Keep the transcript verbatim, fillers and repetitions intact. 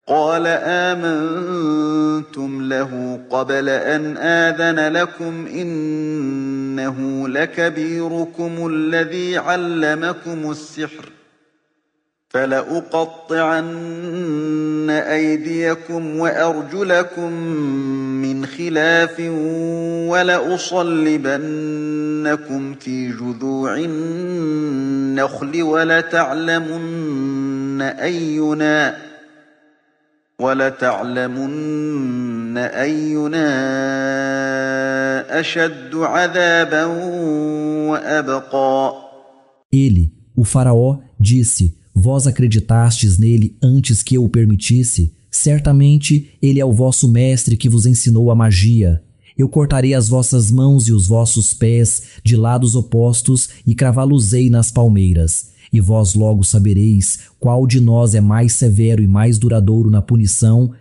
قال آمنتم له قبل أن آذن لكم إنه لكبيركم الذي علمكم السحر فلأقطعن أيديكم وأرجلكم من خلاف ولأصلبنكم في جذوع النخل ولتعلمن أينا ولتعلمن أينا أشد عذابا وأبقى. Ele, o faraó, disse: Vós acreditastes nele antes que eu o permitisse? Certamente ele é o vosso mestre que vos ensinou a magia. Eu cortarei as vossas mãos e os vossos pés de lados opostos e cravá-los-ei nas palmeiras. E vós logo sabereis qual de nós é mais severo e mais duradouro na punição